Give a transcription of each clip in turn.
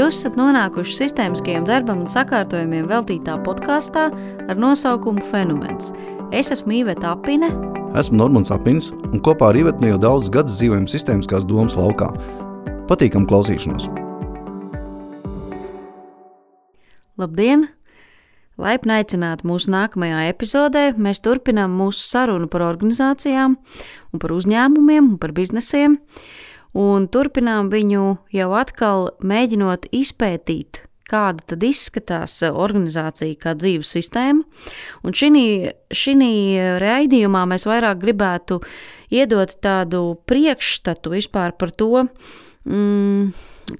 Jūs esat nonākuši sistēmiskajam darbam un sakārtojumiem veltītā podkāstā ar nosaukumu Fenomens. Es esmu Iveta Apine. Esmu Normons Apins un kopā ar Ivetu jau daudzus gadus dzīvojam sistēmiskās domas laukā. Patīkam klausīšanos! Labdien! Laipni aicināti mūsu nākamajā epizodē. Mēs turpinām mūsu sarunu par organizācijām un par uzņēmumiem un par biznesiem. Un turpinām viņu jau atkal mēģinot izpētīt, kāda tad izskatās organizācija kā dzīves sistēma. Un šī raidījumā mēs vairāk gribētu iedot tādu priekšstatu vispār par to,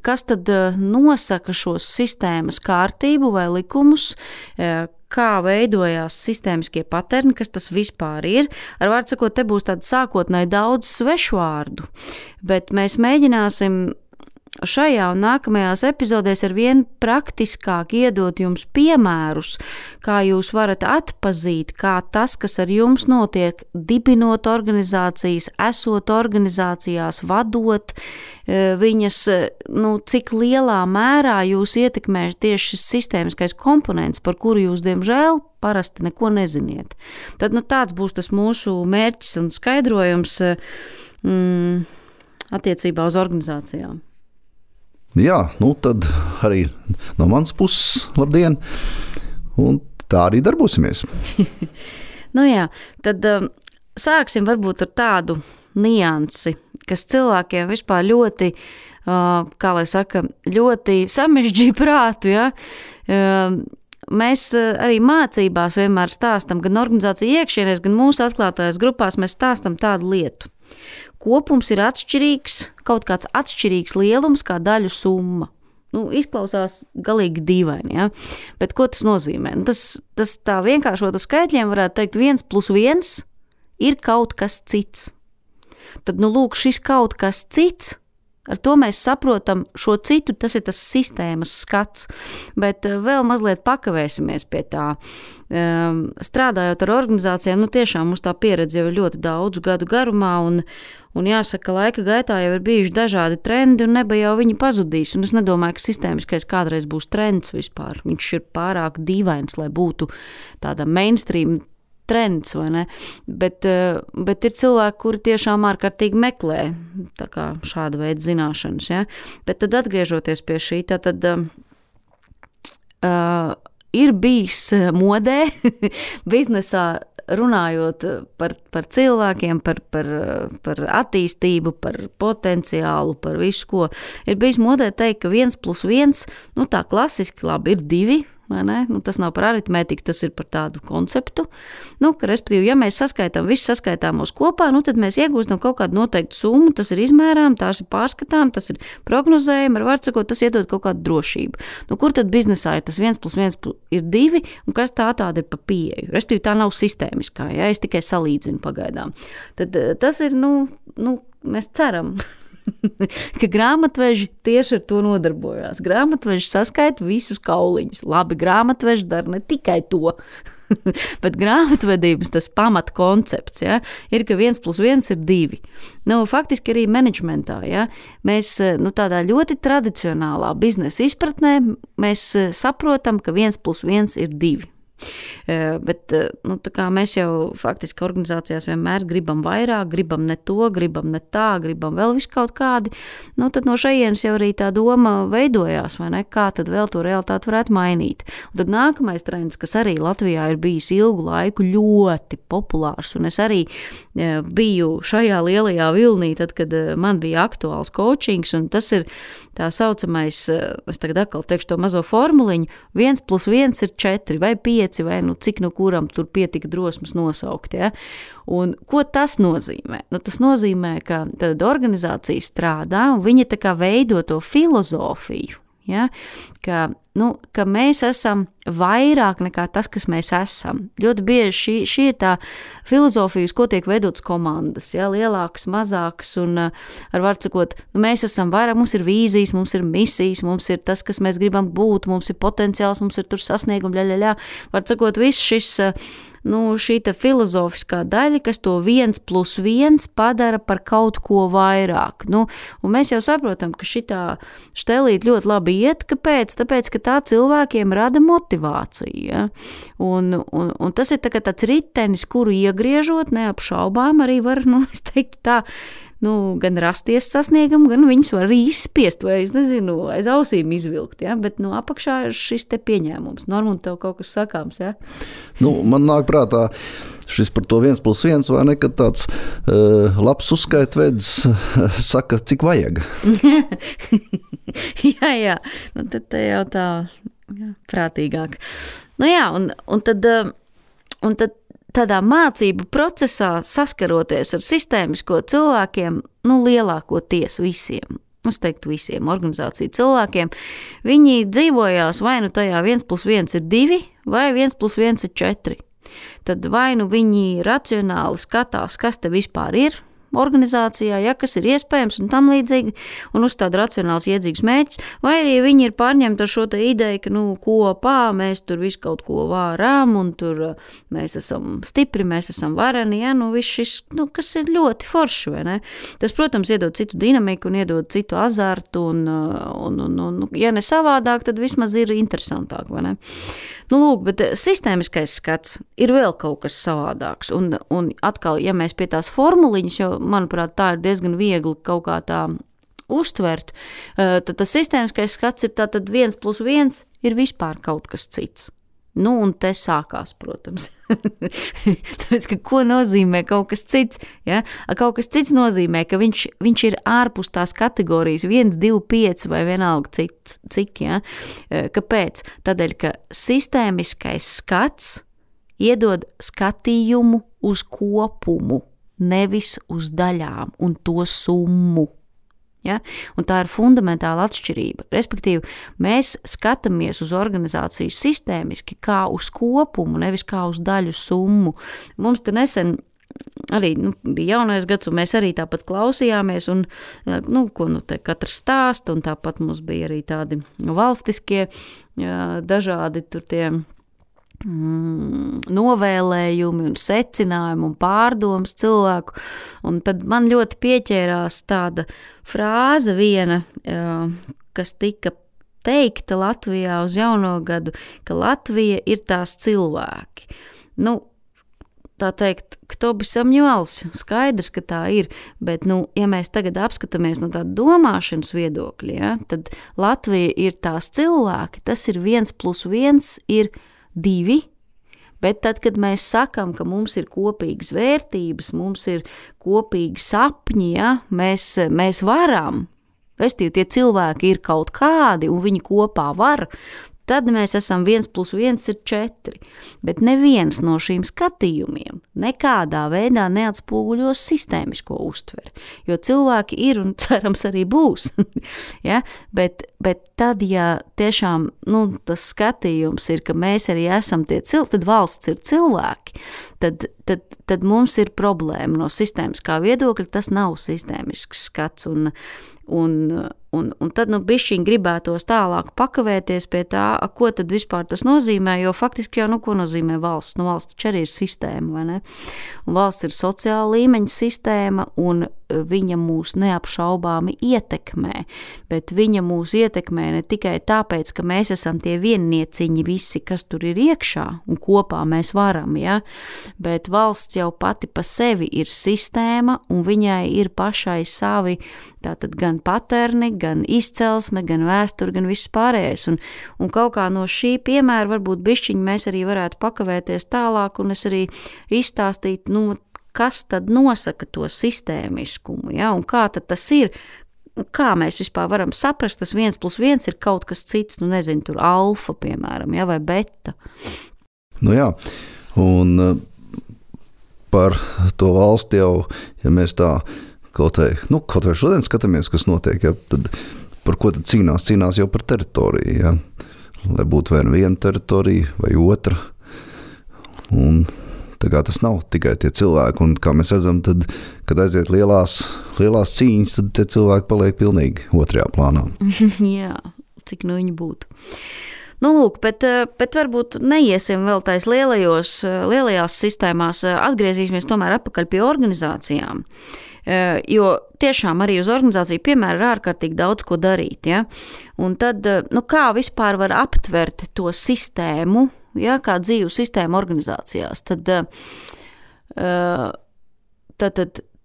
kas tad nosaka šos sistēmas kārtību vai likumus, kā veidojās sistēmiskie paterni, kas tas vispār ir. Ar vārdu sakot, te būs tāda sākotnēji daudz svešvārdu, bet mēs mēģināsim šajā un nākamajās epizodēs ar vien praktiskāk iedot jums piemērus, kā jūs varat atpazīt, kā tas, kas ar jums notiek, dibinot organizācijas, esot organizācijās, vadot viņas, cik lielā mērā jūs ietekmē tieši šis sistēmiskais komponents, par kuru jūs, diemžēl, parasti neko neziniet. Tad tāds būs tas mūsu mērķis un skaidrojums attiecībā uz organizācijām. Jā, tad arī no manas puses labdien, un tā arī darbosimies. Tad sāksim varbūt ar tādu niansi, kas cilvēkiem vispār ļoti, ļoti samežģīja prātu, ja? Mēs arī mācībās vienmēr stāstam, gan organizācija iekšienēs, gan mūsu atklātajās grupās mēs stāstam tādu lietu. Kopums ir atšķirīgs, kaut kāds atšķirīgs lielums kā daļu summa. Izklausās galīgi dīvaini, ja? Bet ko tas nozīmē? Tas tā vienkāršot ar skaitļiem varētu teikt 1 + 1 ir kaut kas cits. Tad, lūk, šis kaut kas cits, ar to mēs saprotam šo citu, tas ir tas sistēmas skats, bet vēl mazliet pakavēsimies pie tā. Strādājot ar organizācijām, tiešām mums tā pieredze jau ir ļoti daudzu gadu garumā, un jāsaka, laika gaitā jau ir bijuši dažādi trendi, un neba jau viņi pazudīs, un es nedomāju, ka sistēmiskais kādreiz būs trends vispār. Viņš ir pārāk dīvains, lai būtu tāda mainstream trends, vai ne? Bet ir cilvēki, kuri tiešām ārkārtīgi meklē tā kā šāda veida zināšanas, ja? Bet tad atgriežoties pie šī, tad ir bijis modē biznesā runājot par cilvēkiem, par attīstību, par potenciālu, par visu ko. Ir bijis modē teikt, ka 1 + 1, tā klasiski labi ir 2, vai ne? Tas nav par aritmētiku, tas ir par tādu konceptu. Ka, respektīvi, ja mēs saskaitām visus saskaitāmos kopā, tad mēs iegūstam kaut kādu noteiktu summu, tas ir izmērām, tās ir pārskatām, tas ir prognozējumi, ar vārdu sakot, tas iedod kaut kādu drošību. Kur tad biznesā ir tas 1 + 1 ir 2, un kas tāda ir pa pieeju? Respektīvi, tā nav sistēmiskā, ja? Es tikai salīdzinu pagaidām. Tad tas ir, mēs ceram, ka grāmatveži tieši ar to nodarbojās. Grāmatveži saskaita visus kauliņus. Labi, grāmatveži dara ne tikai to, bet grāmatvedības tas pamatkoncepts, ja, ir, ka 1 + 1 ir 2. Faktiski arī menedžmentā, ja, mēs tādā ļoti tradicionālā biznesa izpratnē mēs saprotam, ka 1 + 1 ir 2. Bet tā kā mēs jau faktiski organizācijās vienmēr gribam vairāk, gribam ne to, gribam ne tā, gribam vēl visu kaut kādi, tad no šejienes jau arī tā doma veidojās, vai ne, kā tad vēl to realitāti varētu mainīt. Un tad nākamais trends, kas arī Latvijā ir bijis ilgu laiku ļoti populārs, un es arī biju šajā lielajā vilnī, tad, kad man bija aktuāls coachings, un tas ir tā saucamais, es tagad atkal teikšu to mazo formuliņu, 1 + 1 ir 4 vai 5, vai cik kuram tur pietika drosmas nosaukt. Ja? Un ko tas nozīmē? Tas nozīmē, ka tad organizācija strādā un viņa tā kā veido to filozofiju. Ja? Ka mēs esam vairāk nekā tas, kas mēs esam. Ļoti bieži šī ir tā filozofija, uz ko tiek veidotas komandas, ja? Lielākas, mazākas, un ar vārdu sakot, mēs esam vairāk, mums ir vīzijas, mums ir misijas, mums ir tas, kas mēs gribam būt, mums ir potenciāls, mums ir tur sasniegumi, Vārdu sakot, viss šis šī filozofiskā daļa, kas to 1+1 padara par kaut ko vairāk. Un mēs jau saprotam, ka šitā štelīt ļoti labi iet, kāpēc? Tāpēc, ka tā cilvēkiem rada motivāciju. Ja? Un tas ir tāds ritenis, kuru iegriežot, neapšaubām arī var, es teiktu tā, gan rasties sasniegam, gan viņus var arī izspiest vai, aiz ausīm izvilkt, ja? Bet apakšā ir šis te pieņēmums. Norman, tev kaut kas sakāms, ja? Man nāk prātā šis par to 1+1, vai ne, kad tāds labs uzskaitvedis saka, cik vajag. jā, tad te jau tā prātīgāk. Un tad tādā mācību procesā saskaroties ar sistēmisko cilvēkiem, lielākoties visiem, es teiktu visiem organizāciju cilvēkiem, viņi dzīvojās vai tajā 1+1 ir 2 vai 1+1 ir 4. Tad vai viņi racionāli skatās, kas te vispār ir organizācijā, ja, kas ir iespējams un tam līdzīgi, un uzstāda racionāls iedzīgs mērķis, vai arī viņi ir pārņemti ar šo te ideju, ka, kopā mēs tur visu kaut ko vārām, un tur mēs esam stipri, mēs esam vareni, ja, viss šis, kas ir ļoti forši, vai ne? Tas, protams, iedod citu dinamiku un iedod citu azartu, un ja ne savādāk, tad vismaz ir interesantāk, vai ne? Lūk, bet sistēmiskais skats ir vēl kaut kas savādāks, un atkal, ja mēs pie tās formuliņas, jo, manuprāt, tā ir diezgan viegli kaut kā tā uztvert, tad tas sistēmiskais skats ir tātad 1+1 ir vispār kaut kas cits. Un te sākās, protams. Tāpēc, ka ko nozīmē kaut kas cits? Ja? Kaut kas cits nozīmē, ka viņš ir ārpus tās kategorijas 1, 2, 5 vai vienalga cik. Ja? Kāpēc? Tādēļ, ka sistēmiskais skats iedod skatījumu uz kopumu, nevis uz daļām un to summu. Ja? Un tā ir fundamentāla atšķirība. Respektīvi, mēs skatāmies uz organizāciju sistēmiski kā uz kopumu, nevis kā uz daļu summu. Mums te nesen arī bija jaunais gads, un mēs arī tāpat klausījāmies, un ko te katrs stāsta, un tāpat mums bija arī tādi valstiskie dažādi tur tie novēlējumi un secinājumi un pārdomas cilvēku, un tad man ļoti pieķērās tāda frāze viena, kas tika teikta Latvijā uz jauno gadu, ka Latvija ir tās cilvēki. Tā teikt, kto bi samņols, skaidrs, ka tā ir, bet, ja mēs tagad apskatāmies no tāda domāšanas viedokļa, ja, tad Latvija ir tās cilvēki, tas ir 1+1 ir 2, bet tad, kad mēs sakam, ka mums ir kopīgas vērtības, mums ir kopīgi sapņi, ja, mēs varam, respektīvi tie cilvēki ir kaut kādi un viņi kopā var, tad mēs esam 1+1 ir 4, bet neviens no šīm skatījumiem nekādā veidā neatspoguļos sistēmisko uztveri, jo cilvēki ir un cerams arī būs, ja? Bet tad, ja tiešām tas skatījums ir, ka mēs arī esam tie cilvēki, tad valsts ir cilvēki, tad mums ir problēma no sistēmiskā viedokļa, tas nav sistēmisks skats, un tad bišķiņ gribētos tālāk pakavēties pie tā, ko tad vispār tas nozīmē, jo faktiski jau, ko nozīmē valsts? Valsts taču arī ir sistēma, vai ne? Un valsts ir sociāla līmeņa sistēma, un viņa mūs neapšaubāmi ietekmē, bet viņa mūs ietekmē ne tikai tāpēc, ka mēs esam tie viennieciņi visi, kas tur ir iekšā, un kopā mēs varam, ja? Bet valsts jau pati pa sevi ir sistēma, un viņai ir pašai savi, tātad gan paterni, gan izcelsme, gan vēsture, gan viss pārējais. Un kaut kā no šī piemēra varbūt bišķiņi mēs arī varētu pakavēties tālāk, un es arī izstāstītu, kas tad nosaka to sistēmiskumu, ja? Un kā tad tas ir, kā mēs vispār varam saprast, tas 1+1 ir kaut kas cits, nezinu, tur alfa, piemēram, ja? Vai beta. Jā, un par to valsti jau, ja mēs tā kaut vai šodien skatāmies, kas notiek, ja, tad par ko tad cīnās? Cīnās jau par teritoriju, ja? Lai būtu vai viena teritorija vai otra. Un tā kā tas nav tikai tie cilvēki, un kā mēs redzam, tad, kad aiziet lielās cīņas, tad tie cilvēki paliek pilnīgi otrajā plānā. Jā, cik viņi būtu. Nu, lūk, bet varbūt neiesim vēl tais lielajās sistēmās, atgriezīsimies tomēr atpakaļ pie organizācijām. Jo tiešām arī uz organizāciju piemēra ir ārkārtīgi daudz ko darīt. Ja? Un tad, kā vispār var aptvert to sistēmu, ja, kā dzīvu sistēmu organizācijās, tad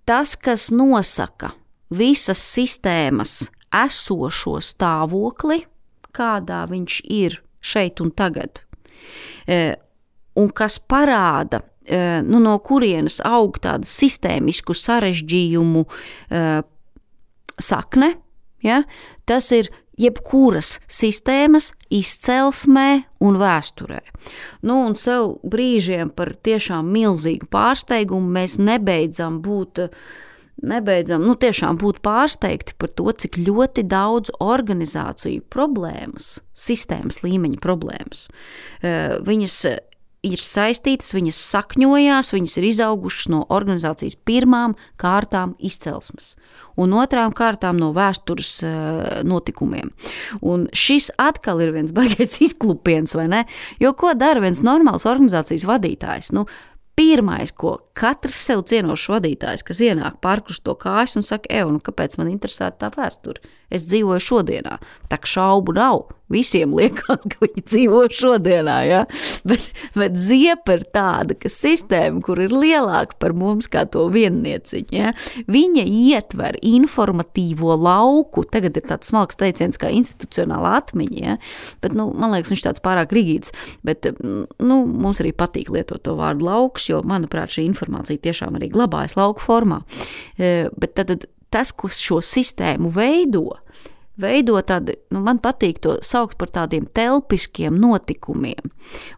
tas, kas nosaka visas sistēmas esošo stāvokli, kādā viņš ir šeit un tagad, un kas parāda, no kurienes aug tādu sistēmisku sarežģījumu sakne, ja? Tas ir jebkuras sistēmas izcelsmē un vēsturē. Un sev brīžiem par tiešām milzīgu pārsteigumu mēs nebeidzam tiešām būt pārsteigti par to, cik ļoti daudz organizāciju problēmas, sistēmas līmeņa problēmas, viņas ir saistītas, viņas sakņojās, viņas ir izaugušas no organizācijas pirmām kārtām izcelsmes un otrām kārtām no vēstures notikumiem. Un šis atkal ir viens baigais izklupiens, vai ne? Jo ko dara viens normāls organizācijas vadītājs? Pirmais, ko katrs sev cienošs vadītājs, kas ienāk pārkrust to kājas un saka, kāpēc man interesēta tā vēsture? Es dzīvoju šodienā. Tā šaubu nav. Visiem liekas, ka viņi dzīvo šodienā, ja? Bet ziepa ir tāda, ka sistēma, kur ir lielāka par mums kā to viennieciņu, ja? Viņa ietver informatīvo lauku, tagad ir tāds smalks teiciens kā institucionāla atmiņa, ja? Bet, man liekas, viņš tāds pārāk rigīds, bet, mums arī patīk lietot to vārdu lauks, jo, manuprāt, šī informācija tiešām arī glabājas lauku formā. Bet tad tas, kas šo sistēmu veido tādi, man patīk to saukt par tādiem telpiskiem notikumiem.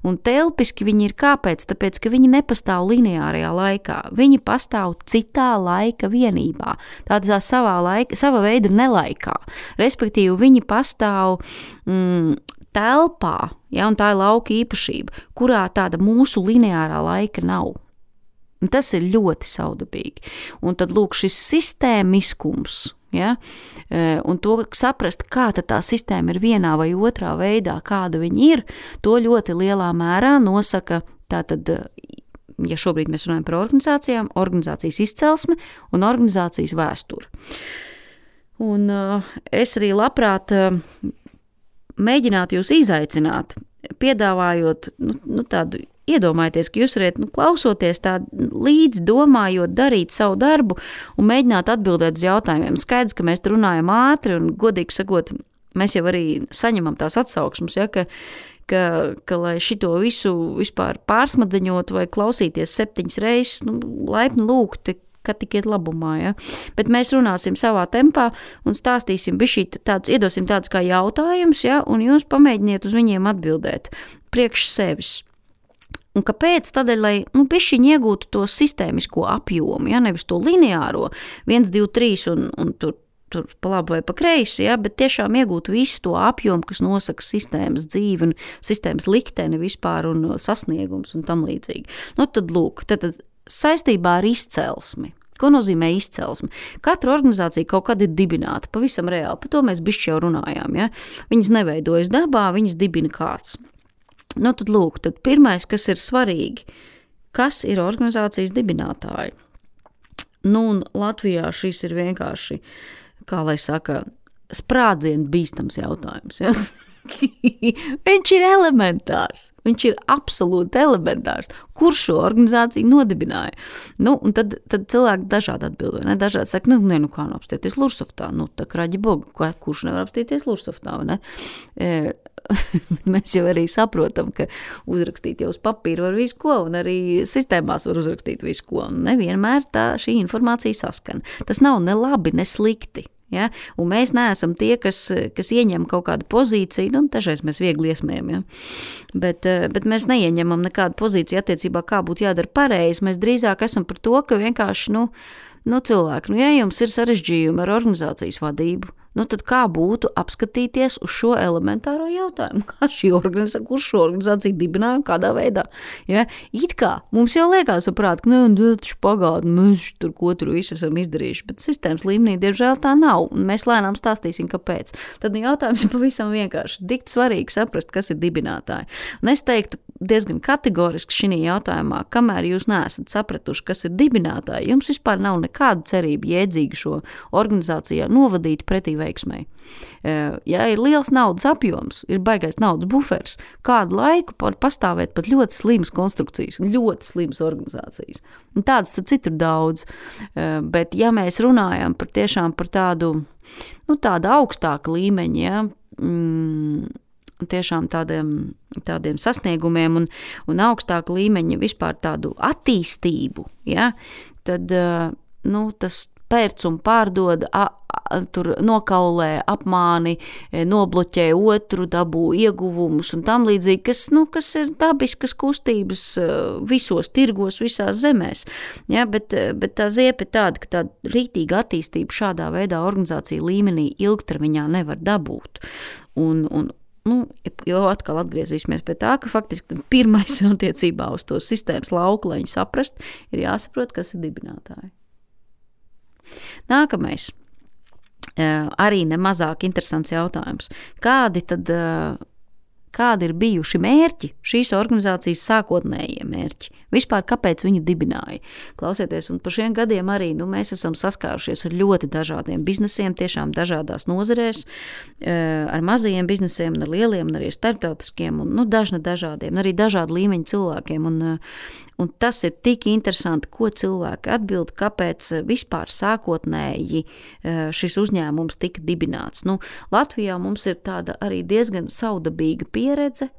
Un telpiski viņi ir kāpēc? Tāpēc, ka viņi nepastāv lineārajā laikā. Viņi pastāv citā laika vienībā. Tādā sava veida nelaikā. Respektīvi, viņi pastāv telpā, ja, un tā ir lauka īpašība, kurā tāda mūsu lineārā laika nav. Un tas ir ļoti saudabīgi. Un tad, lūk, šis sistēmiskums, ja, un to saprast, kā tā sistēma ir vienā vai otrā veidā, kāda viņa ir, to ļoti lielā mērā nosaka tātad, ja šobrīd mēs runājam par organizācijām, organizācijas izcelsme un organizācijas vēsture. Un es arī labprāt mēģinātu jūs izaicināt, piedāvājot tādu iedomājieties, ka jūs varat, klausoties tā līdz domājot, darīt savu darbu un mēģināt atbildēt uz jautājumiem. Skaidrs, ka mēs runājam ātri un godīgi sakot, mēs jau arī saņemam tās atsauksmes, ja, ka lai šito visu vispār pārsmadzeņot vai klausīties 7 reizes, laipni lūgti, ka tikiet labumā, ja. Bet mēs runāsim savā tempā un stāstīsim iedosim tādus kā jautājumus, ja, un jūs pamēģiniet uz viņiem atbildēt priekš sevis. Un kāpēc? Tādēļ, lai bišķiņi iegūtu to sistēmisko apjomu, ja, nevis to lineāro 1, 2, 3 un tur pa labi vai pa kreisi, ja, bet tiešām iegūtu visu to apjomu, kas nosaka sistēmas dzīvi un sistēmas likteni vispār un sasniegums un tam līdzīgi. Tad lūk, tad saistībā ar izcelsmi. Ko nozīmē izcelsme? Katra organizācija kaut kad ir dibināta, pavisam reāli, par to mēs bišķi jau runājām, ja. Viņas neveidojas dabā, viņas dibina kāds. Tad lūk, tad pirmais, kas ir svarīgi, kas ir organizācijas dibinātāji? Un Latvijā šis ir vienkārši, kā lai saka, sprādzienu bīstams jautājums, ja? Viņš ir elementārs, viņš ir absolūti elementārs. Kurš šo organizāciju nodibināja? Un tad cilvēki dažādi atbildo, ne? Dažādi saka, kā apstīties Lursoftā, tā kraģi boga, kurš nevar apstīties Lursoftā, vai ne? Mēs jau arī saprotam, ka uzrakstīt jau uz papīra var visu ko, un arī sistēmās var uzrakstīt visu ko, un nevienmēr šī informācija saskan. Tas nav ne labi, ne slikti. Ja? Un mēs neesam tie, kas ieņem kaut kādu pozīciju, dažreiz mēs viegli iesmējam, ja? Bet mēs neieņemam nekādu pozīciju attiecībā, kā būtu jādara pareizi. Mēs drīzāk esam par to, ka vienkārši, cilvēki, ja jums ir sarežģījumi ar organizācijas vadību, tad kā būtu apskatīties uz šo elementāro jautājumu? Kurš šo organizāciju dibināja un kādā veidā? Ja? It kā mums jau liekas saprāt, ka taču pagātni, mēs tur ko tur visu esam izdarījuši, bet sistēmas līmenī, diemžēl, tā nav, un mēs lēnām stāstīsim, kāpēc. Tad jautājums ir pavisam vienkārši. Dikt svarīgi saprast, kas ir dibinātāji. Un es teiktu diezgan kategoriski šī jautājumā, kamēr jūs neesat sapratuši, kas ir dibinātāji, jums vispār nav nekāda cerība jēdzīgi šo organizācijā novadīt pretī veiksmai. Ja ir liels naudas apjoms, ir baigais naudas bufers, kādu laiku pastāvēt pat ļoti slimas konstrukcijas, ļoti slimas organizācijas. Un tādas tad citur daudz, bet ja mēs runājam tiešām par tādu augstāku līmeņu, ja, tiešām tādiem sasniegumiem un augstāku līmeņa vispār tādu attīstību, ja, tad tas pērc un pārdod, tur nokaulē, apmāni, nobloķē otru, dabū ieguvumus un tam līdzīgi, kas ir dabiskas kustības visos tirgos, visās zemēs. Ja, bet tā ziepa ir tāda, ka tāda rītīga attīstība šādā veidā organizācija līmenī ilgtermiņā nevar dabūt. Jo atkal atgriezīsimies pie tā, ka faktiski pirmais attiecībā uz to sistēmas lauku, lai viņu saprast, ir jāsaprot, kas ir dibinātāji. Nākamais, arī nemazāk interesants jautājums. Kādi ir bijuši mērķi, šīs organizācijas sākotnējie mērķi? Vispār, kāpēc viņu dibināja? Klausieties, un par šiem gadiem arī mēs esam saskārušies ar ļoti dažādiem biznesiem, tiešām dažādās nozarēs, ar mazajiem biznesiem, ar lieliem, un arī starptautiskiem, un dažādiem, arī dažādu līmeņu cilvēkiem. Un tas ir tik interesanti, ko cilvēki atbild, kāpēc vispār sākotnēji šis uzņēmums tika dibināts. Latvijā mums ir tāda arī diezgan saudabīga pieredze,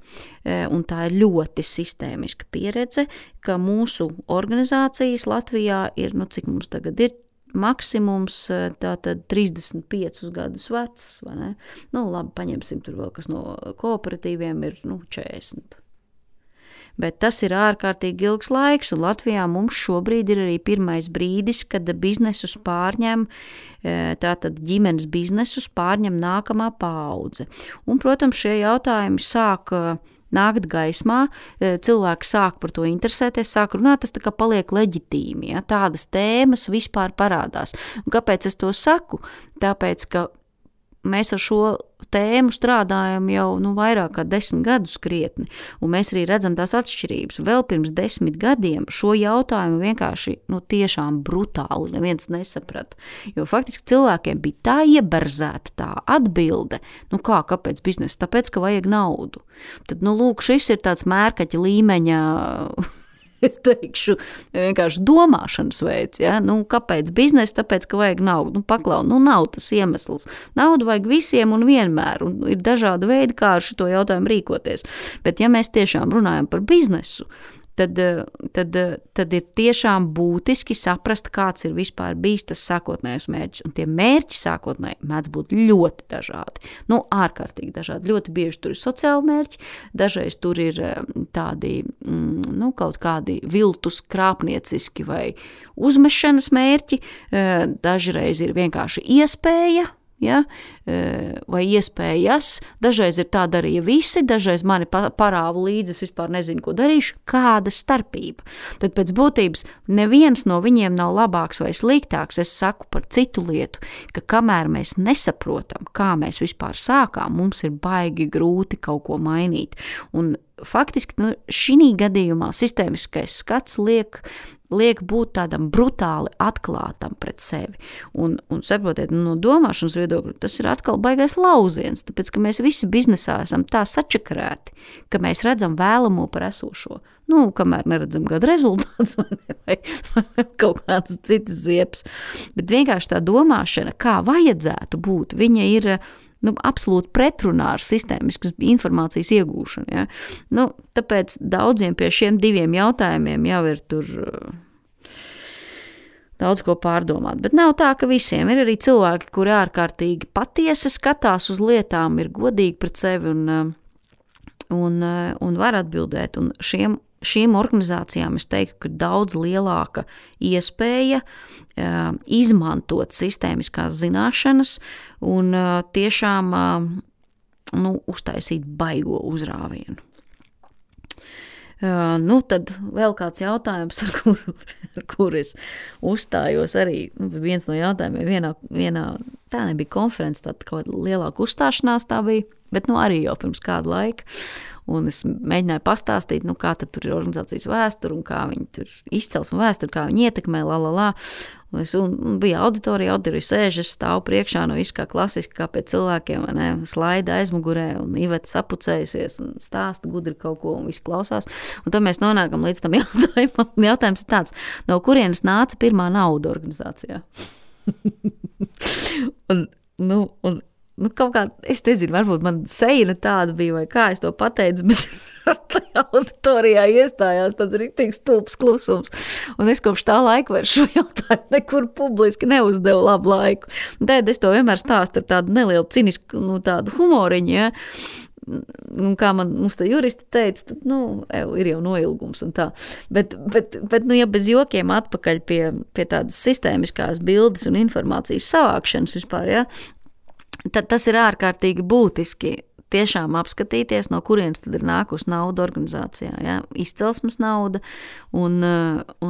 un tā ir ļoti sistēmiska pieredze, ka mūsu organizācijas Latvijā ir, cik mums tagad ir, maksimums tātad 35 gadus vecs, vai ne? Labi, paņemsim tur vēl, kas no kooperatīviem ir 40. Bet tas ir ārkārtīgi ilgs laiks, un Latvijā mums šobrīd ir arī pirmais brīdis, kad biznesus pārņem, tātad ģimenes biznesus pārņem nākamā paudze. Un, protams, šie jautājumi sāk nākt gaismā, cilvēki sāk par to interesēties, sāk runāt, tas tā kā paliek leģitīmi, ja? Tādas tēmas vispār parādās. Un kāpēc es to saku? Tāpēc, ka mēs ar šo tēmu strādājam jau vairāk kā 10 gadus krietni, un mēs arī redzam tās atšķirības. Vēl pirms 10 gadiem šo jautājumu vienkārši tiešām brutāli neviens nesaprata, jo faktiski cilvēkiem bija tā ieberzēta tā atbilde, kāpēc biznesa? Tāpēc, ka vajag naudu. Tad, lūk, šis ir tāds mērkaķa līmeņa es teikšu, vienkārši domāšanas veids, ja? Kāpēc biznesa? Tāpēc, ka vajag naudu. Paklau, nav tas iemesls. Naudu vajag visiem un vienmēr, un ir dažādi veidi, kā ar šito jautājumu rīkoties. Bet ja mēs tiešām runājam par biznesu, tad ir tiešām būtiski saprast, kāds ir vispār bijis tas sākotnējais mērķis. Un tie mērķi sākotnēji mēdz būt ļoti dažādi. Ārkārtīgi dažādi. Ļoti bieži tur ir sociāli mērķi, dažreiz tur ir tādi, kaut kādi viltus krāpnieciski vai uzmešanas mērķi, dažreiz ir vienkārši iespēja, ja? Vai iespējas, dažreiz ir tā darīja visi, dažreiz mani parāva līdzi, es vispār nezinu, ko darīšu, kāda starpība. Tad pēc būtības neviens no viņiem nav labāks vai sliktāks, es saku par citu lietu, ka kamēr mēs nesaprotam, kā mēs vispār sākām, mums ir baigi grūti kaut ko mainīt. Un faktiski šī gadījumā sistēmiskais skats liek būt tādam brutāli atklātam pret sevi. Un saprotiet, no domāšanas viedokļa tas ir atkal baigais lauziens, tāpēc, ka mēs visi biznesā esam tā sačakarēti, ka mēs redzam vēlamo par esošo. Kamēr neredzam gada rezultāts vai kaut kādas citas ziepes. Bet vienkārši tā domāšana, kā vajadzētu būt, viņa ir absolūti pretrunā ar sistēmiskas informācijas iegūšanu. Ja? Tāpēc daudziem pie šiem diviem jautājumiem jau ir tur daudz ko pārdomāt. Bet nav tā, ka visiem ir arī cilvēki, kuri ārkārtīgi patiesi skatās uz lietām, ir godīgi pret sevi un var atbildēt. Un šiem šīm organizācijām es teiktu, ka daudz lielāka iespēja izmantot sistēmiskās zināšanas un tiešām uztaisīt baigo uzrāvienu. Tad vēl kāds jautājums, ar kuru es uzstājos arī. Viens no jautājumiem vienā tā nebija konferences, tāda kaut kāda lielāka uzstāšanās tā bija, bet arī jau pirms kādu laiku. Un es mēģināju pastāstīt, kā tad tur ir organizācijas vēsture un kā viņi tur izcelsme vēsture, kā viņi ietekmē, Un bija auditorija sēž, es stāvu priekšā, viss kā klasiski, kā pie cilvēkiem, slaida aizmugurē, un Iveta sapucējusies un stāsta gudri kaut ko, un viss klausās. Un tad mēs nonākam līdz tam jautājumam. Jautājums ir tāds, no kurienes nāca pirmā nauda organizācijā? un kaut kā, es nezinu, varbūt man seja tāda bija, vai kā es to pateicu, bet tajā auditorijā iestājās tāds riktīgs stulbs klusums. Un es kopš tā laika vairs šo jautājumu nekur publiski neuzdevu labu laiku. Un tad es to vienmēr stāstu ar tādu nelielu cinisku, tādu humoriņu, ja. Un kā mums tā juristi teica, tad, ir jau noilgums un tā. Bet ja bez jokiem atpakaļ pie tādas sistēmiskās bildes un informācijas savākšanas vispār, ja, tad tas ir ārkārtīgi būtiski tiešām apskatīties, no kurienes tad ir nākusi nauda organizācijā. Ja? Izcelsmes nauda un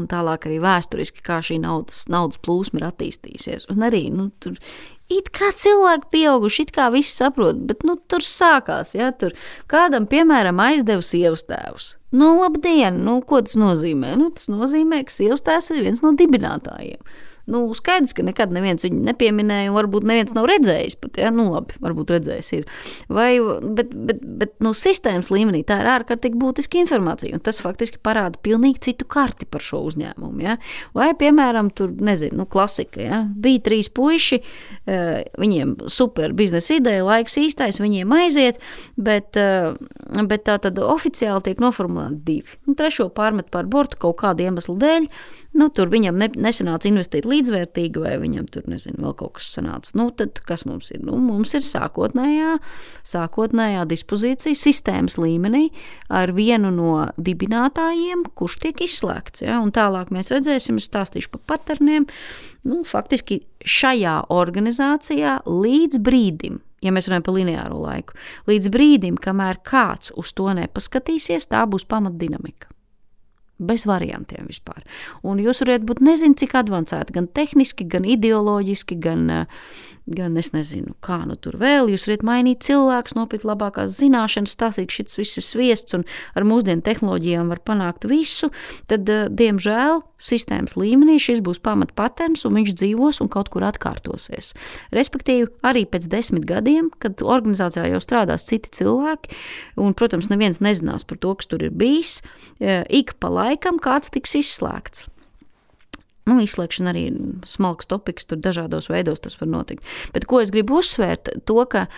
tālāk arī vēsturiski, kā šī naudas plūsma ir attīstījusies. Un arī tur it kā cilvēki pieauguši, it kā visi saprot, bet tur sākās. Ja? Tur kādam, piemēram, aizdeva sievas tēvus. Labdien, ko tas nozīmē? Tas nozīmē, ka sievas tēvs ir viens no dibinātājiem. Skaidrs, ka nekad neviens viņu nepieminēja, un varbūt neviens nav redzējis pat, ja? Labi, varbūt redzējis ir. Bet sistēmas līmenī tā ir ārkārtīgi būtiska informācija, un tas faktiski parāda pilnīgi citu karti par šo uzņēmumu, ja? Vai, piemēram, tur, nezinu, klasika, ja? Bija 3 puiši, viņiem super biznesa ideja, laiks īstais, viņiem aiziet, bet tā tad oficiāli tiek noformulēti 2. 3. pārmet pār bortu kaut kādu iemeslu dēļ, tur viņam nesanāca investīt līdzvērtīgi, vai viņam tur, nezinu, vēl kaut kas sanāca. Tad kas mums ir? Mums ir sākotnējā dispozīcija sistēmas līmenī ar vienu no dibinātājiem, kurš tiek izslēgts. Ja? Un tālāk mēs redzēsim, es stāstīšu par paterniem. Faktiski šajā organizācijā līdz brīdim, ja mēs runājam par lineāro laiku, līdz brīdim, kamēr kāds uz to nepaskatīsies, tā būs pamatdinamika. Bez variantiem vispār. Un jūs varat būt nezinu, cik advancēti, gan tehniski, gan ideoloģiski, gan es nezinu, kā tur vēl. Jūs varat mainīt cilvēkus, nopirkt labākās zināšanas, stāstīt, ka šis viss ir sviests un ar mūsdienu tehnoloģijām var panākt visu. Tad, diemžēl, sistēmas līmenī šis būs pamatpaterns un viņš dzīvos un kaut kur atkārtosies. Respektīvi, arī pēc 10 gadiem, kad organizācijā jau strādās citi cilvēki, un, protams, neviens nezinās par to, kas tur ir bijis, ik pa laikam kāds tiks izslēgts. Izslēgšana arī ir smalks topiks, tur dažādos veidos tas var notikt. Bet ko es gribu uzsvērt, to, ka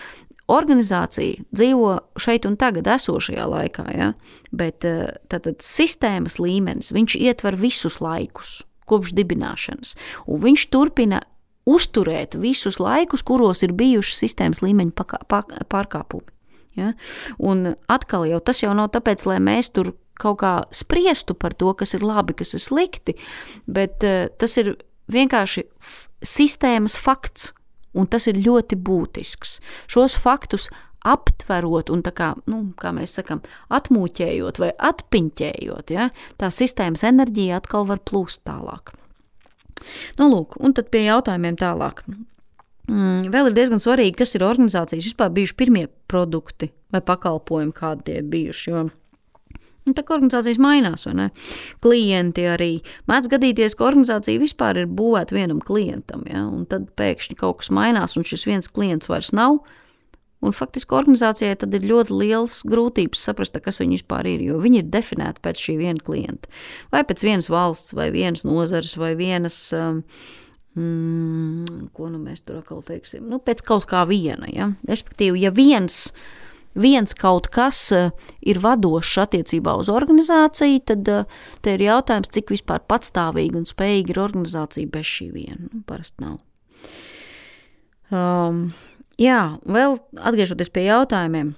organizācija dzīvo šeit un tagad esošajā laikā, ja? Bet tātad sistēmas līmenis, viņš ietver visus laikus, kopš dibināšanas, un viņš turpina uzturēt visus laikus, kuros ir bijuši sistēmas līmeņa pārkāpumi. Ja? Un atkal jau tas jau nav tāpēc, lai mēs tur kaut kā spriestu par to, kas ir labi, kas ir slikti, bet tas ir vienkārši sistēmas fakts, un tas ir ļoti būtisks. Šos faktus aptverot un tā kā mēs sakam, atmūķējot vai atpiņķējot, ja, tā sistēmas enerģija atkal var plūst tālāk. Lūk, un tad pie jautājumiem tālāk. Vēl ir diezgan svarīgi, kas ir organizācijas vispār bijuši pirmie produkti vai pakalpojumi, kādi tie ir bijuši, jo tā kā organizācijas mainās, vai ne? Klienti arī. Mēdz gadīties, ka organizācija vispār ir būvēta vienam klientam, ja? Un tad pēkšņi kaut kas mainās, un šis viens klients vairs nav. Un faktiski organizācijai tad ir ļoti liels grūtības saprast, kas viņi vispār ir, jo viņi ir definēti pēc šī viena klienta. Vai pēc vienas valsts, vai vienas nozares, vai vienas, ko mēs tur atkal teiksim, pēc kaut kā viena, ja? Respektīvi, ja viens kaut kas ir vadošs attiecībā uz organizāciju, tad te ir jautājums, cik vispār patstāvīgi un spējīgi ir organizācija bez šī viena. Parasti nav. Jā, vēl atgriežoties pie jautājumiem.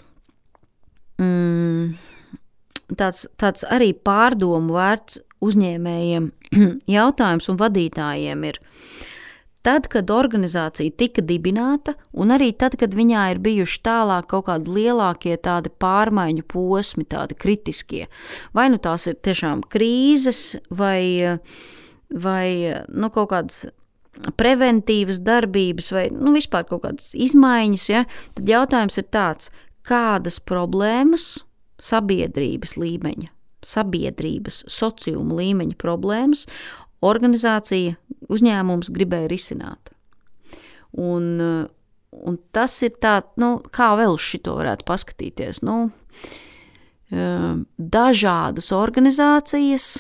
tāds arī pārdomu vērts uzņēmējiem jautājums un vadītājiem ir. Tad, kad organizācija tika dibināta, un arī tad, kad viņā ir bijuši tālāk kaut kādi lielākie tādi pārmaiņu posmi, tādi kritiskie, vai nu tās ir tiešām krīzes, vai kaut kādas preventīvas darbības, vai vispār kaut kādas izmaiņas, ja? Tad jautājums ir tāds, kādas problēmas sabiedrības līmeņa, sociuma līmeņa problēmas organizācija, uzņēmums gribēja risināt. Un tas ir tā, kā vēl uz šito varētu paskatīties. Dažādas organizācijas,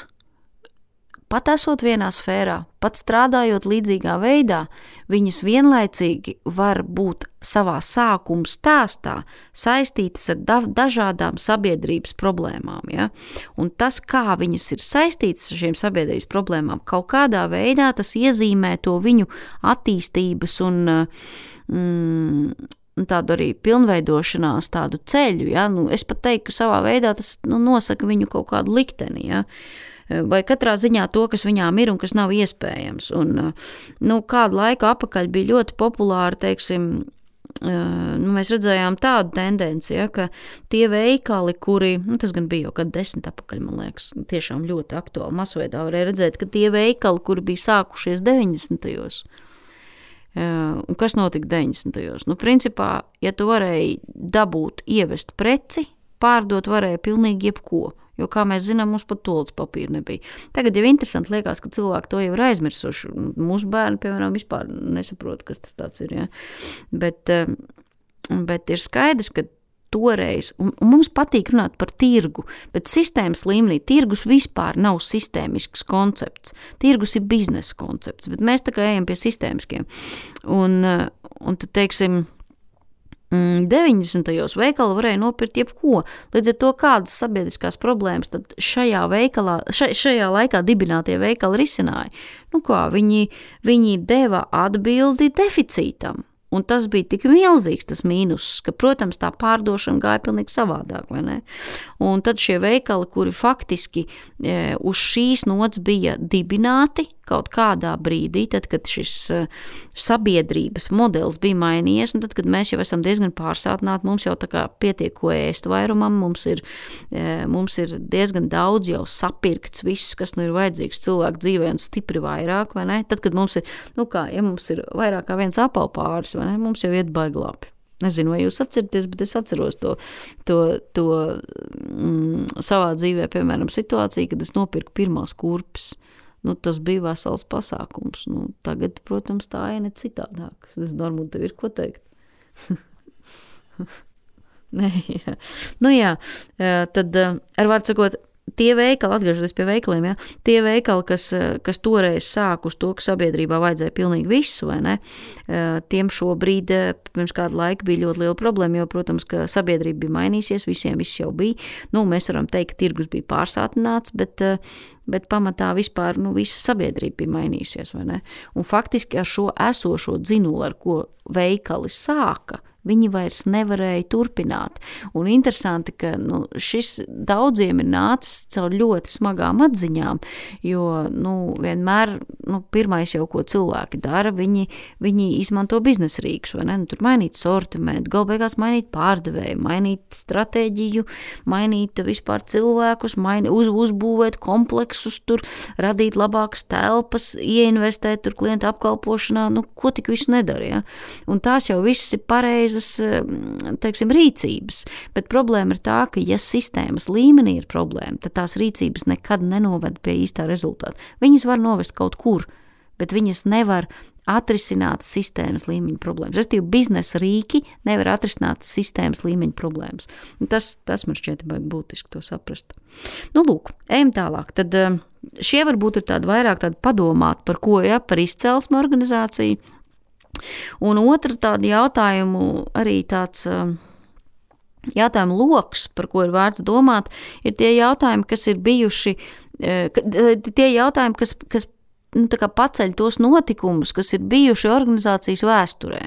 pat esot vienā sfērā, pat strādājot līdzīgā veidā, viņas vienlaicīgi var būt savā sākuma stāstā saistītas ar dažādām sabiedrības problēmām. Ja? Un tas, kā viņas ir saistītas ar šiem sabiedrības problēmām, kaut kādā veidā tas iezīmē to viņu attīstības un tādu arī pilnveidošanās tādu ceļu. Ja? Es pat teiktu, ka savā veidā tas nosaka viņu kaut kādu likteni. Ja? Vai katrā ziņā to, kas viņām ir un kas nav iespējams. Un, kādu laiku atpakaļ bija ļoti populāri, teiksim, mēs redzējām tādu tendenci, ja, ka tie veikali, kuri, tas gan bija jau kad 10 atpakaļ, man liekas, tiešām ļoti aktuāli masveidā varēja redzēt, ka tie veikali, kuri bija sākušies 90. Un kas notika 90. Principā, ja tu varēji dabūt, ievest preci, pārdot varēja pilnīgi jebko. Jo, kā mēs zinām, mums pat toalettas papīra nebija. Tagad jau interesanti liekas, ka cilvēki to jau ir aizmirsuši. Mūsu bērni, piemēram, vispār nesaprot, kas tas tāds ir. Ja? Bet ir skaidrs, ka toreiz, un mums patīk runāt par tirgu, bet sistēmas līmenī tirgus vispār nav sistēmisks koncepts. Tirgus ir biznesa koncepts, bet mēs tā kā ejam pie sistēmiskiem. Un tad, teiksim, 90. veikala varēja nopirkt jebko. Līdz ar to, kādas sabiedriskās problēmas tad šajā laikā dibinātie veikali risināja. Viņi deva atbildi deficītam. Un tas bija tik milzīgs tas mīnus, ka, protams, tā pārdošana gāja pilnīgi savādāk, vai ne? Un tad šie veikali, kuri faktiski uz šīs nots bija dibināti kaut kādā brīdī, tad, kad šis sabiedrības modelis bija mainījies, un tad, kad mēs jau esam diezgan pārsātināti, mums jau tā kā pietiek ko ēst vairumam, mums ir diezgan daudz jau sapirkts viss, kas ir vajadzīgs cilvēku dzīvē un stipri vairāk, vai ne? Tad, kad mums ir, ja mums ir vairāk kā viens apelpāris, vai ne? Mums jau iet baigi labi. Nezinu, vai jūs atceraties, bet es atceros to savā dzīvē, piemēram, situāciju, kad es nopirku pirmās kurpes. Tas bija vesels pasākums. Tagad, protams, tā ir ne citādāk. Es domāju, tev ir ko teikt. Nē, jā. Tad, ar vārdu sakot, tie veikali, atgriežoties pie veikaliem, ja, tie veikali, kas toreiz sāk uz to, ka sabiedrībā vajadzēja pilnīgi visu, vai ne, tiem šobrīd pirms kādu laiku bija ļoti liela problēma, jo, protams, ka sabiedrība bija mainīsies, visiem viss jau bija. Mēs varam teikt, ka tirgus bija pārsātināts, bet pamatā vispār visa sabiedrība bija mainījusies, vai ne? Un faktiski ar šo esošo dzinulu, ar ko veikali sāka, viņi vairs nevarēja turpināt. Un interesanti, ka šis daudziem ir nācis caur ļoti smagām atziņām, jo vienmēr pirmais jau, ko cilvēki dara, viņi izmanto biznesa rīkus, vai ne? Tur mainīt sortimentu, galbeigās mainīt pārdevēju, mainīt stratēģiju, mainīt vispār cilvēkus, uzbūvēt kompleksus, tur radīt labākas telpas, ieinvestēt tur klientu apkalpošanā, ko tik visu nedara, ja? Un tās jau viss ir pareizi, teiksim, rīcības, bet problēma ir tā, ka ja sistēmas līmenī ir problēma, tad tās rīcības nekad nenoved pie īstā rezultāta. Viņas var novest kaut kur, bet viņas nevar atrisināt sistēmas līmeņa problēmas. Restīvi, biznesa rīki nevar atrisināt sistēmas līmeņa problēmas. Tas man šķiet baigi būtiski to saprast. Lūk, ejam tālāk. Tad šie varbūt ir tādi vairāk tādi padomāt par ko, ja, par izcelsmu organizāciju. Un otra tāda jautājumu, arī tāds jautājumu loks, par ko ir vērts domāt, ir tie jautājumi, kas ir bijuši, tie jautājumi, kas tā kā paceļ tos notikumus, kas ir bijuši organizācijas vēsturē.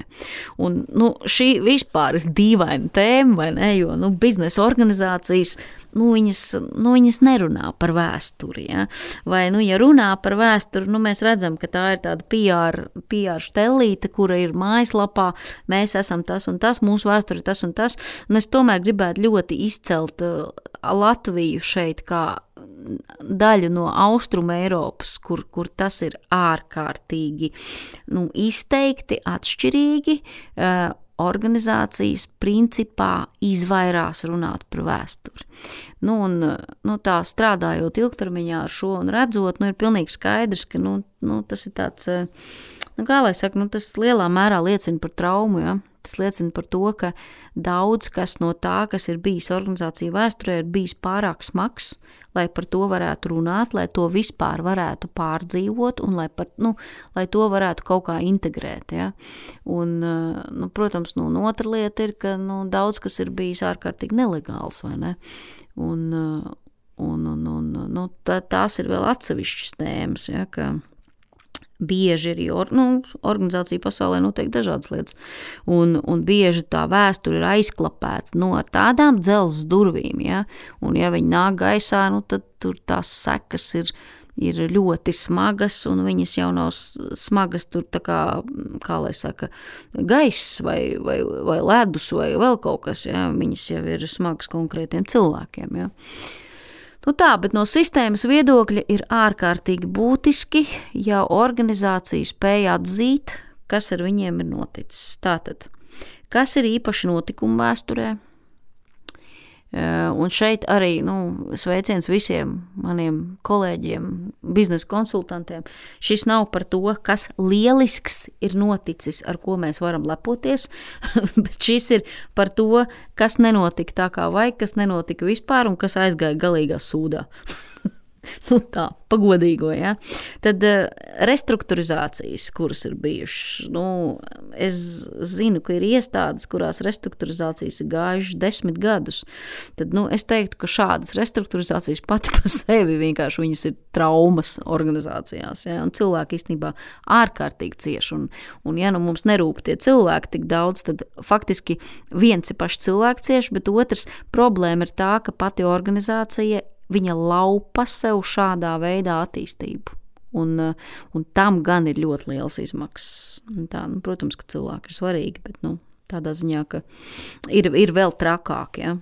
Un, šī vispār ir dīvaina tēma, vai ne, jo, biznesa organizācijas, viņas nerunā par vēsturi, ja? Vai, ja runā par vēsturi, mēs redzam, ka tā ir tāda PR štellīte, kura ir mājaslapā, mēs esam tas un tas, mūsu vēsturi tas un tas, un es tomēr gribētu ļoti izcelt Latviju šeit kā daļu no Austrumu Eiropas, kur tas ir ārkārtīgi izteikti, atšķirīgi, organizācijas principā izvairās runāt par vēsturi. Tā strādājot ilgtermiņā ar šo un redzot, ir pilnīgi skaidrs, ka tas ir tāds, kā lai saka, tas lielā mērā liecina par traumu, ja? Tas liecina par to, ka daudz kas no tā, kas ir bijis organizācija vēsturē, ir bijis pārāk smags, lai par to varētu runāt, lai to vispār varētu pārdzīvot un lai to varētu kaut kā integrēt. Ja? Un, protams, otra lieta ir, ka daudz kas ir bijis ārkārtīgi nelegāls, vai ne? Tās ir vēl atsevišķas tēmas, ja, ka bieži ir, organizācija pasaulē notiek dažādas lietas, un bieži tā vēsture ir aizklapēta ar tādām dzelzs durvīm, ja? Un ja viņi nāk gaisā, tad tur tās sekas ir ļoti smagas, un viņas jau nav smagas tur tā kā lai saka, gaiss vai ledus vai vēl kaut kas, ja? Viņas jau ir smagas konkrētiem cilvēkiem, ja? Bet no sistēmas viedokļa ir ārkārtīgi būtiski, ja organizācija spēja atzīt, kas ar viņiem ir noticis. Tātad, kas ir īpaši notikumi vēsturē? Un šeit arī sveiciens visiem maniem kolēģiem, biznesa konsultantiem. Šis nav par to, kas lielisks ir noticis, ar ko mēs varam lepoties, bet šis ir par to, kas nenotika tā kā vajag, kas nenotika vispār un kas aizgāja galīgā sūdā. Tā, pagodīgo, ja. Tad restruktūrizācijas, kuras ir bijušas, es zinu, ka ir iestādes, kurās restruktūrizācijas ir gājušas 10 gadus. Tad, es teiktu, ka šādas restruktūrizācijas pati pa sevi vienkārši viņas ir traumas organizācijās, ja, un cilvēki īstenībā ārkārtīgi cieši, un ja mums nerūp tie cilvēki tik daudz, tad faktiski viens ir paši cilvēki cieši, bet otrs problēma ir tā, ka pati organizācija viņa laupa sev šādā veidā attīstību. Un tam gan ir ļoti liels izmaksas. Tā, protams, ka cilvēki ir svarīgi, bet tādā ziņā, ka ir vēl trakāk. Ja?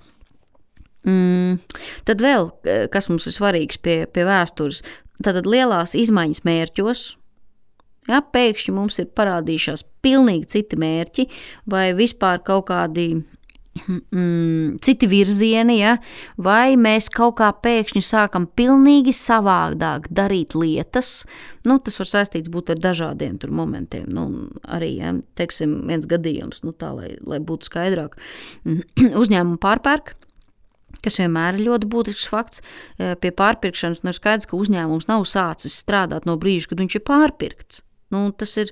Tad vēl, kas mums ir svarīgs pie vēstures, tad lielās izmaiņas mērķos. Ja, pēkšņi mums ir parādījušās pilnīgi citi mērķi vai vispār kaut kādi citi virzieni, ja? Vai mēs kaut kā pēkšņi sākam pilnīgi savādāk darīt lietas, tas var saistīts būt ar dažādiem tur momentiem, arī, ja, teiksim, viens gadījums, tā, lai būtu skaidrāk, uzņēmumu pārpērk, kas vienmēr ir ļoti būtisks fakts, pie pārpirkšanas, ir skaidrs, ka uzņēmums nav sācis strādāt no brīža, kad viņš ir pārpirkts. Tas ir,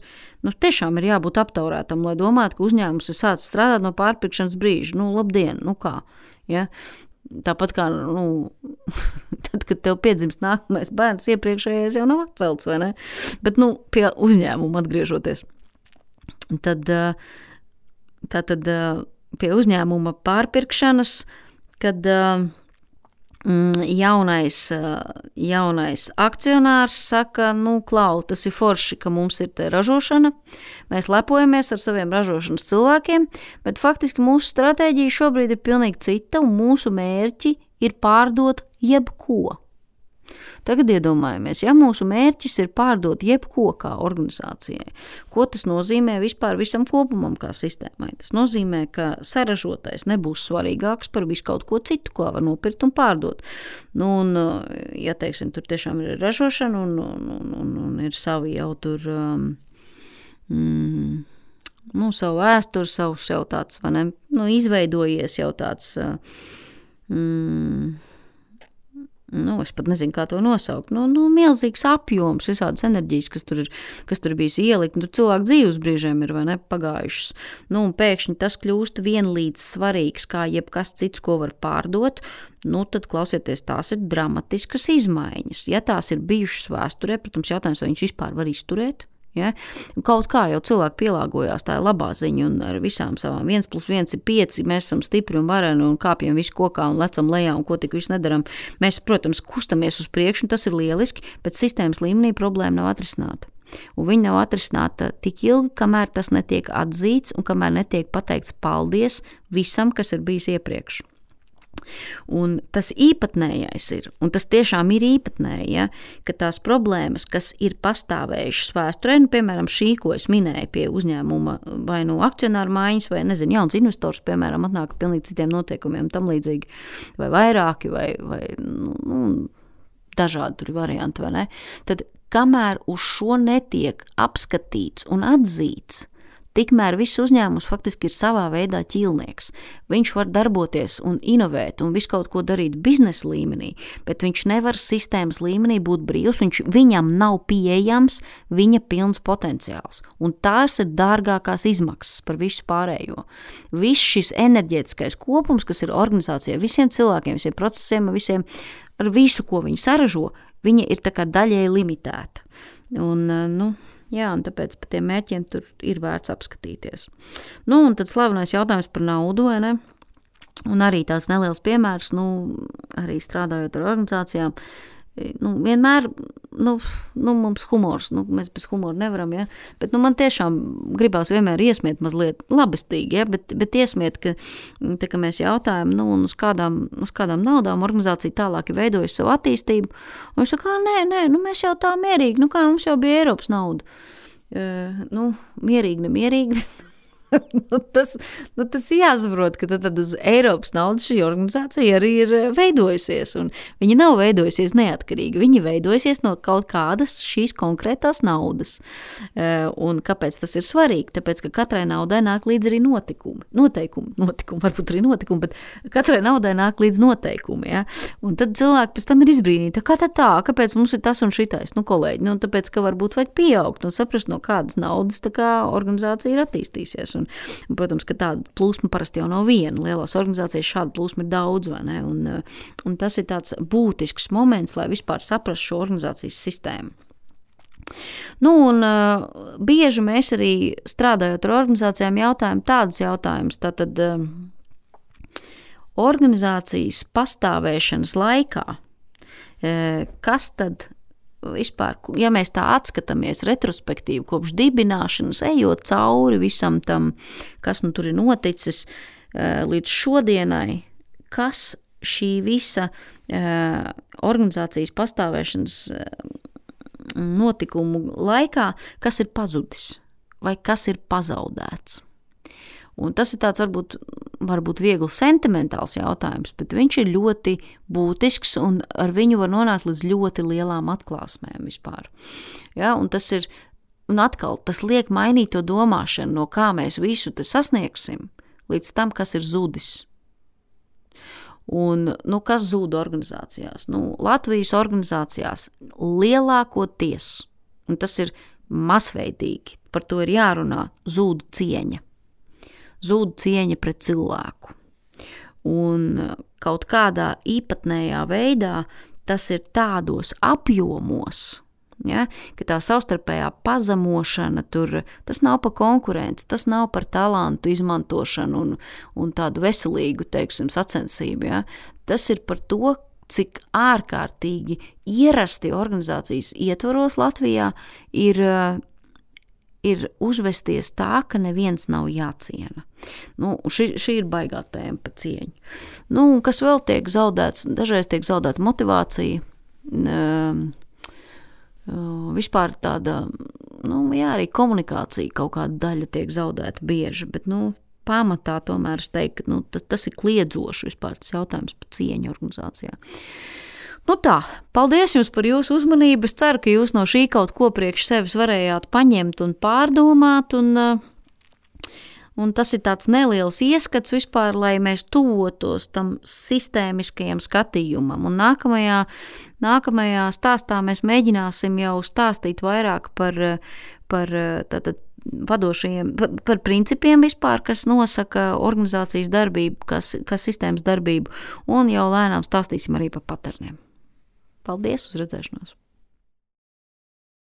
tiešām ir jābūt aptaurētam, lai domātu, ka uzņēmums ir sācis strādāt no pārpirkšanas brīža. Labdien, kā, ja? Tāpat kā, tad, kad tev piedzimst nākamais bērns, iepriekšējais jau nav atcelts, vai ne? Bet, pie uzņēmuma atgriežoties. Tad pie uzņēmuma pārpirkšanas, kad jaunais akcionārs saka, Klau, tas ir forši, ka mums ir te ražošana, mēs lepojamies ar saviem ražošanas cilvēkiem, bet faktiski mūsu stratēģija šobrīd ir pilnīgi cita un mūsu mērķi ir pārdot jebko. Tagad iedomājamies, ja mūsu mērķis ir pārdot jebko kā organizācijai, ko tas nozīmē vispār visam kopumam kā sistēmai? Tas nozīmē, ka saražotais nebūs svarīgāks par visu kaut ko citu, ko var nopirkt un pārdot. Ja, teiksim, tur tiešām ir ražošana un ir savi jau tur, savu vēsturi, savu tāds, vai ne, izveidojies jau tāds, Es pat nezinu, kā to nosaukt. Milzīgs apjoms, visādas enerģijas, kas tur bijis ielikt. Tur cilvēku dzīves brīžiem ir, vai ne, pagājušas. Un pēkšņi tas kļūst vienlīdz svarīgs, kā jebkas cits, ko var pārdot. Tad klausieties, tās ir dramatiskas izmaiņas. Ja tās ir bijušas vēsturē, protams, jautājums, vai viņš vispār var izturēt. Ja? Kaut kā jau cilvēki pielāgojās, tā ir labā ziņa, un ar visām savām 1+1 ir 5, mēs esam stipri un vareni un kāpjam visu kokā un lecam lejā un ko tik visu nedaram. Mēs, protams, kustamies uz priekšu, un tas ir lieliski, bet sistēmas līmenī problēma nav atrisināta. Un viņa nav atrisināta tik ilgi, kamēr tas netiek atzīts un kamēr netiek pateikts paldies visam, kas ir bijis iepriekš. Un tas īpatnējais ir, un tas tiešām ir īpatnēji, ja, ka tās problēmas, kas ir pastāvējušas vēsturē, piemēram, šī, ko es minēju pie uzņēmuma vai akcionāru maiņas, vai, jauns investors, piemēram, atnāk pilnīgi citiem noteikumiem, tam līdzīgi, vai vairāki, vai dažādi tur ir varianti, vai ne? Tad, kamēr uz šo netiek apskatīts un atzīts, tikmēr viss uzņēmums faktiski ir savā veidā ķīlnieks. Viņš var darboties un inovēt un visu kaut ko darīt biznesa līmenī, bet viņš nevar sistēmas līmenī būt brīvs, viņam nav pieejams viņa pilns potenciāls. Un tās ir dārgākās izmaksas par visu pārējo. Viss šis enerģētiskais kopums, kas ir organizācijā, visiem cilvēkiem, visiem procesiem, visiem ar visu, ko viņi saražo, viņa ir tā kā daļēji limitēta. Jā, un tāpēc par tiem mērķiem tur ir vērts apskatīties. Un tad slavenais jautājums par naudu, vai ne? Un arī tāds neliels piemērs, arī strādājot ar organizācijām, vienmēr, mums humors, mēs bez humora nevaram, ja? Bet, man tiešām gribās vienmēr iesmiet mazliet labestīgi, ja? Bet iesmiet, ka mēs jautājam, uz kādām naudām organizācija tālāk ir veidojusi savu attīstību, un viņš saka, nē, mēs jau tā mierīgi, kā mums jau bija Eiropas nauda. Mierīgi, nemierīgi, tas jāsaprot, ka tad uz Eiropas naudas šī organizācija arī ir veidojusies, un viņa nav veidojusies neatkarīgi, viņa veidojusies no kaut kādas šīs konkrētās naudas. Un kāpēc tas ir svarīgi? Tāpēc, ka katrai naudai nāk līdz arī noteikumi, varbūt arī notikumi, bet katrai naudai nāk līdz noteikumi, ja? Un tad cilvēki pēc tam ir izbrīnīti, kāpēc mums ir tas un šitais, kolēģi, tāpēc, ka varbūt vajag pieaugt un saprast, no kādas naudas tā kā organizācija ir attīstīsies. Un, protams, ka tāda plūsma parasti jau nav viena. Lielās organizācijas šāda plūsma ir daudz, vai ne? Un tas ir tāds būtisks moments, lai vispār saprastu šo organizācijas sistēmu. Bieži mēs arī strādājot ar organizācijām jautājam tādus jautājumus. Tātad organizācijas pastāvēšanas laikā, kas tad vispār, ja mēs tā atskatāmies retrospektīvi kopš dibināšanas, ejot cauri visam tam, kas tur ir noticis līdz šodienai, kas šī visa organizācijas pastāvēšanas notikumu laikā, kas ir pazudis vai kas ir pazaudēts. Un tas ir tāds varbūt viegli sentimentāls jautājums, bet viņš ir ļoti būtisks un ar viņu var nonākt līdz ļoti lielām atklāsmēm vispār. Ja, un atkal tas liek mainīt to domāšanu, no kā mēs visu te sasniegsim, līdz tam, kas ir zudis. Un, kas zūd organizācijās? Latvijas organizācijās lielākoties, un tas ir masveidīgi, par to ir jārunā, zūd cieņa. Zūd cieņa pret cilvēku. Un kaut kādā īpatnējā veidā tas ir tādos apjomos, ja, ka tā savstarpējā pazemošana tas nav par konkurenci, tas nav par talantu izmantošanu un tādu veselīgu, sacensību. Ja. Tas ir par to, cik ārkārtīgi ierasti organizācijas ietvaros Latvijā ir uzvesties tā, ka neviens nav jāciena. Šī ir baigā tēma par cieņu. Kas vēl tiek zaudēts? Dažreiz tiek zaudēta motivācija. Vispār tāda, arī komunikācija kaut kāda daļa tiek zaudēta bieži, bet, pamatā tomēr es teiktu, ka tas ir kliedzoši vispār tas jautājums par cieņu organizācijā. Tā, paldies jums par jūsu uzmanību. Es ceru, ka jūs no šī kaut ko priekš sevis varējāt paņemt un pārdomāt. Un, Un tas ir tāds neliels ieskats vispār, lai mēs tuvotos tam sistēmiskajam skatījumam. Un nākamajā stāstā mēs mēģināsim jau stāstīt vairāk par tātad vadošajiem, par principiem vispār, kas nosaka organizācijas darbību, kas sistēmas darbību, un jau lēnām stāstīsim arī par paterniem. Paldies, uz redzēšanos!